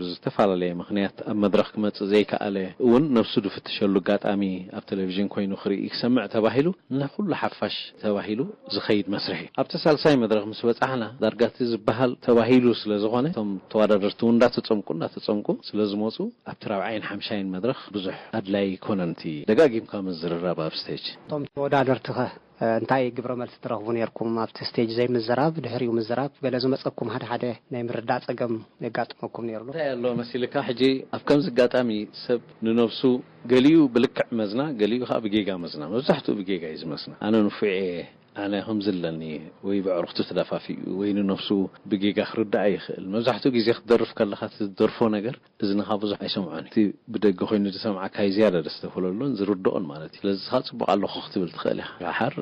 ብዝተፈላለየ ምኽንያት ኣብ መድረኽ ክመጽእ ዘይከኣለ እውን ነብሱ ዝፍትሸሉ ኣጋጣሚ ኣብ ቴሌቪዥን ኮይኑ ክርኢ ክሰምዕ ተባሂሉ ንኹሉ ሓፋሽ ተባሂሉ ዝኸይድ መስርሕ እዩ። ኣብቲ ሳልሳይ መድረኽ ምስ በጻሕና ዳርጋ እቲ ዝበሃል ተባሂሉ ስለ ዝኾነ እቶም ተወዳደርቲ እውን እንዳተጸምቁ እንዳተጸምቁ ስለ ዝመጹ ኣብቲ ራብዓይን ሓምሻይን መድረኽ ብዙሕ ኣድላይ ኣይኮነን እቲ ደጋጊምካ ምዝርራብ ኣብ ስቴጅ። እቶም ተወዳደርትኸ እንታይ ግብረ መልሲ ትረኽቡ ነርኩም ኣብቲ ስቴጅ ዘይምዝራብ ድሕሪኡ ምዝራብ ገለ ዝመጸኩም ሓደ ሓደ ናይ ምርዳእ ጸገም የጋጥመኩም ነይሩ ዶ? እንታይ ኣሎ መሲልካ ሕጂ ኣብ ከምዚ ኣጋጣሚ ሰብ ንነብሱ ገሊኡ ብልክዕ መዝና ገሊኡ ከዓ ብጌጋ መዝና መብዛሕትኡ ብጌጋ እዩ ዝመዝና ኣነ ንፉዕ እየ ኣነ ከምዚ ኣለኒ ወይ ብዕርክቱ ተዳፋፊኡ ወይ ንነብሱ ብጌጋ ክርዳእ ይኽእል መብዛሕትኡ ግዜ ክትደርፍ ከለኻ ትደርፎ ነገር እዝንኻ ብዙሕ ኣይሰምዖን። እቲ ብደገ ኮይኑ ዝሰምዓካ እዩ ዝያዳ ደስ ተብለሉን ዝርድኦን ማለት እዩ። ስለዚ ንስኻ ጽቡቕ ኣለኹ ክትብል ትኽእል ኢኻ። ደሓር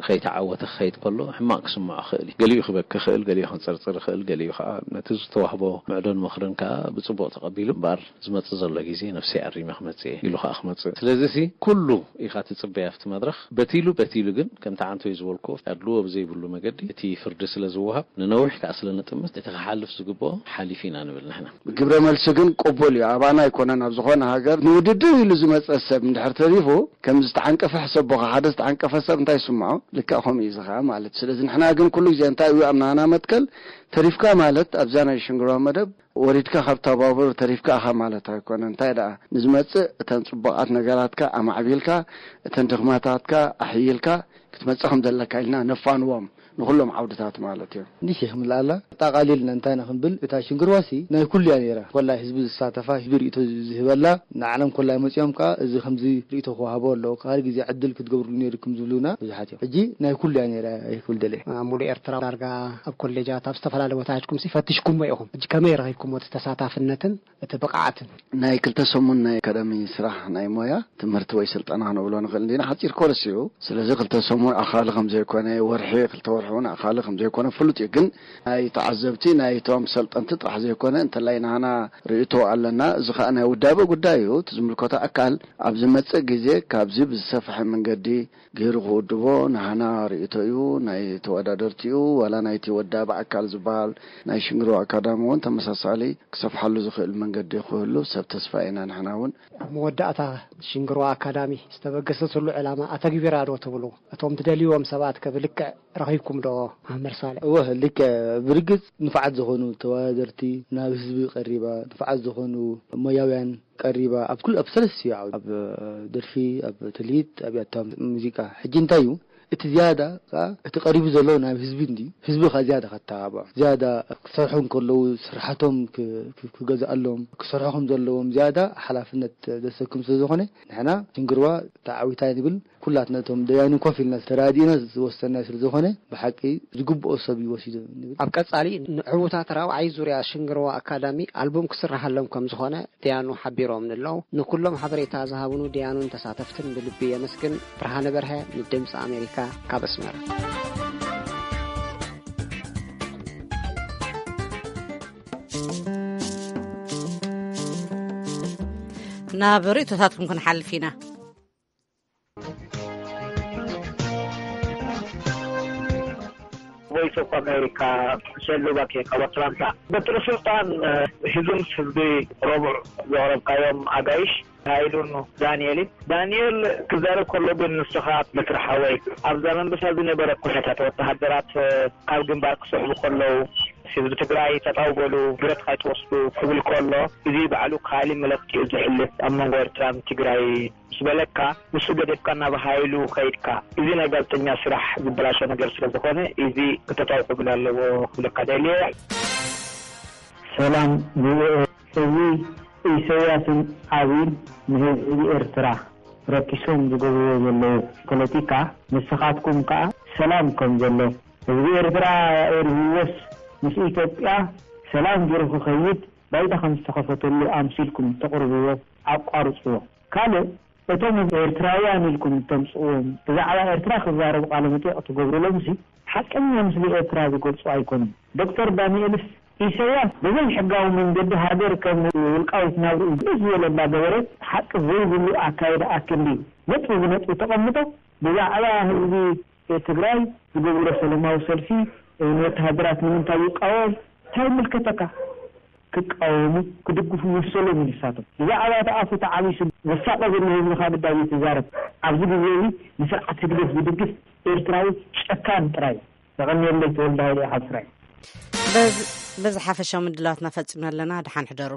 ከይተዓወተ ክኸይድ ከሎ ሕማቕ ክስምዖ ይኽእል እዩ። ገሊኡ ክበኪ ይኽእል፣ ገሊኡ ከንጸርጽር ይኽእል፣ ገሊኡ ከኣ ነቲ ዝተዋህቦ ምዕዶን ምኽርን ከኣ ብጽቡቕ ተቐቢሉ እምበኣር ዝመጽእ ዘሎ ግዜ ነብሰይ ኣሪመ ክመጽእ እየ ኢሉ ከኣ ክመጽእ። ስለዚሲ ኩሉ ኢኻ ትጽበይ ኣብቲ መድረኽ። በቲሉ በቲሉ ግን ከምቲ ዓንቶይ ዝበልኩዎ ኣድልዎ ብዘይብሉ መገዲ እቲ ፍርዲ ስለ ዝወሃብ ንነዊሕ ከኣ ስለ ንጥምት እቲ ክሓልፍ ዝግብኦ ሓሊፉ ኢና ንብል ንሕና። ግብረ መልሲ ግን ቅቡል እዩ። ኣባና ኣይኮነን ኣብ ዝኾነ ሃገር ንውድድር ኢሉ ዝመጸ ሰብ እንድሕር ተሪፉ ከም ዝተዓንቀፈ ሕሰቦኻ ሓደ ዝተዓንቀፈ ሰብ እንታይ ይስምዖ ልክዕ ከምኡ እዩ ዝኸዓ ማለት እዩ። ስለዚ ንሕና ግን ኩሉ ግዜ እንታይ እዩ ኣብ ናህና መትከል ተሪፍካ ማለት ኣብዛ ናይ ሽንግርዋ መደብ ወሪድካ ካብ ተባብር ተሪፍካ ኢኻ ማለት ኣይኮነን። እንታይ ደኣ ንዝመጽእ እተን ጽቡቓት ነገራትካ ኣማዕቢልካ እተን ድኽመታትካ ኣሕይልካ ክትመጽእ ከም ዘለካ ኢልና ነፋንዎም ንኹሎም ዓውድታት ማለት እዩ። ንሽ ይኽምልኣላ ኣጣቓሊልና እንታይ ኢና ክንብል እታ ሽንግርዋሲ ናይ ኩሉ እያ ነይራ። ኮላይ ህዝቢ ዝሳተፋ ህዝቢ ርእቶ ዝህበላ ንዓለም ኮላይ መጺኦም ከኣ እዚ ከምዚ ርእቶ ክወሃቦ ኣለዎ ካልእ ግዜ ዕድል ክትገብርሉ ነይርኩም ዝብሉና ብዙሓት እዮም። ሕጂ ናይ ኩሉ እያ ነይራ ይክብል ደለ። ኣብ ሙሉእ ኤርትራ ዳርጋ ኣብ ኮሌጃት ኣብ ዝተፈላለየ ቦታ ሄድኩም ሲ ፈትሽኩሞ ኢኹም። ሕጂ ከመይ ረኺብኩሞ እቲ ተሳታፍነትን እቲ ብቕዓትን? ናይ ክልተ ሰሙን ናይ ኣካዳሚ ስራሕ ናይ ሞያ ትምህርቲ ወይ ስልጠና ክንብሎ ንኽእል እንዲና ሓፂር ኮርስ እዩ። ስለዚ ክልተ ሰሙን ኣኻሊ ከም ዘይኮነ ወርሒ ክልተ ወርሒ እውን ኣኻሊ ከም ዘይኮነ ፍሉጥ እዩ። ግን ናይ ተዓዘብቲ ናይቶም ሰልጠንቲ ጥራሕ ዘይኮነ እንተላይ ናህና ርእቶ ኣለና። እዚ ከዓ ናይ ውዳበ ጉዳይ እዩ። እቲ ዝምልከቶ ኣካል ኣብ ዝመፅእ ግዜ ካብዚ ብዝሰፍሐ መንገዲ ገይሩ ክውድቦ ናህና ርእቶ እዩ። ናይ ተወዳደርቲ እዩ ዋላ ናይቲ ወዳቢ ኣካል ዝበሃል ናይ ሽንግሮ ኣካዳሚ እውን ተመሳሳሊ ክሰፍሓሉ ዝኽእል መንገዲ ክህሉ ሰብ ተስፋ ኢና ንሕና እውን። ኣብ መወዳእታ ሽንግሮ ኣካዳሚ ዝተበገሰትሉ ዕላማ ኣተግቢራ ዶ ትብሉ? እቶም ትደልይዎም ሰባት ከ ብልክዕ ረኺብኩም ዶ? መምህር ሳልሕ። እወ ልክዕ። ብርግጽ ንፉዓት ዝኾኑ ተወዳደርቲ ናብ ህዝቢ ቀሪባ፣ ንፉዓት ዝኾኑ ሞያውያን ቀሪባ ኣብ ኩሉ ኣብ ሰለስቲኡ ዓውዲ ኣብ ደርፊ ኣብ ትልሂት ኣብ ያታ ሙዚቃ ሕጂ እንታይ እዩ እቲ ዝያዳ ከኣ እቲ ቀሪቡ ዘሎ ናብ ህዝቢ እንድዩ ህዝቢ ከኣ ዝያዳ ከተባብዖ ዝያዳ ክሰርሑ እንከለዉ ስርሓቶም ክገዝኣሎም ክሰርሑ ከም ዘለዎም ዝያዳ ሓላፍነት ዘሰክም ስለ ዝኾነ ንሕና ሽንግርዋ ተዓዊታ ንብል ኩላትና እቶም ደያኑ ኮፍ ኢልና ተራዲእና ዝወሰናዮ ስለ ዝኾነ ብሓቂ ዝግብኦ ሰብ እዩ ወሲዱ ንብል። ኣብ ቀጻሊ ንዕዉታት ራብዓይ ዙርያ ሽንግርዋ ኣካዳሚ ኣልቡም ክስርሓሎም ከም ዝኾነ ደያኑ ሓቢሮምኒ ኣለዉ። ንኩሎም ሓበሬታ ዝሃቡኑ ደያኑን ተሳተፍትን ብልቢ የመስግን። ብርሃነ በርሀ ንድምፂ ኣሜሪካ ካብ ኣስመራ። ናብ ርእቶታትኩም ክንሓልፍ ኢና። ቮይስ ኦፍ ኣሜሪካ ሸሉ ባኬ ካብ ኣትላንታ። በትሪ ስልጣን ህዝብን ህዝቢ ረቡዕ ዘቕረብካዮም ኣጋይሽ ሃይሉን ዳንኤልን። ዳንኤል ክዛረብ ከሎ ግን ንስኻ በትሪ ሓወይ ኣብዛ መንበሳ ዝነበረ ኩነታት ወተሃደራት ካብ ግንባር ክስዕቡ ከለዉ ህዝቢ ትግራይ ጠጠው በሉ ብረት ካይትወስዱ ክብል ከሎ እዚ ባዕሉ ካሊ መለክቲ እዩ ዘሕልፍ ኣብ መንጎ ኤርትራን ትግራይ ምስ በለካ ንሱ ገደፍካ ናብ ሃይሉ ከይድካ፣ እዚ ናይ ጋዜጠኛ ስራሕ ዝበላሾ ነገር ስለ ዝኾነ እዚ ክተጣውዕብሉ ኣለዎ ክብለካ ደልየ። ሰላም ቪኦኤ፣ እዚ ኢሰያስን ኣብይን ንህዝቢ ኤርትራ ረኪሶም ዝገብርዎ ዘለዉ ፖለቲካ ንስኻትኩም ከኣ ሰላም ከም ዘሎ ህዝቢ ኤርትራ ኣእርህዎስ ምስ ኢትዮጵያ ሰላም ጌሩ ክኸይድ ባይታ ከም ዝተኸፈተሉ ኣምሲልኩም ተቕርብዎ ኣቋርጽዎ። ካልእ እቶም ኤርትራውያን ኢልኩም እተምጽእዎም ብዛዕባ ኤርትራ ክዛረቡ ቃለ መጠይቕ ትገብሩሎምሲ ሓቀኛ ምስሊ ኤርትራ ዝገልጹ ኣይኮኑን። ዶክተር ዳንኤልስ ኢሰያስ ብዘይ ሕጋዊ መንገዲ ሃገር ከም ውልቃዊት ናብርኡ ግእዝ ዝበለ እንዳገበረ ሓቂ ዘይብሉ ኣካይዳ ኣክንዲ ነጥቢ ብነጥቢ ተቐምጦ ብዛዕባ ህዝቢ ትግራይ ዝገብርዎ ሰለማዊ ሰልፊ ንወተሃደራት ንምንታይ ይቃወም? እንታይ ይምልከተካ? ክቃወሙ፣ ክድግፉ መሰሎም እዩ ንሳቶም። ብዛዕባ እቲ ኣፉ ተዓቢሱ ዘሳቐ ዘሎ ህዝቢ ካብ ዳዊት ትዛረብ። ኣብዚ ግዜ እዚ ንስርዓት ህግደፍ ዝድግፍ ኤርትራዊ ጨካን ጥራይ እዩ። የቐንየለይ። ተወልደ ሃይለ ካብ ስራይ። በዚ በዚ ሓፈሻዊ ምድላዋትና ፈጺምና ኣለና። ደሓን ሕደሩ።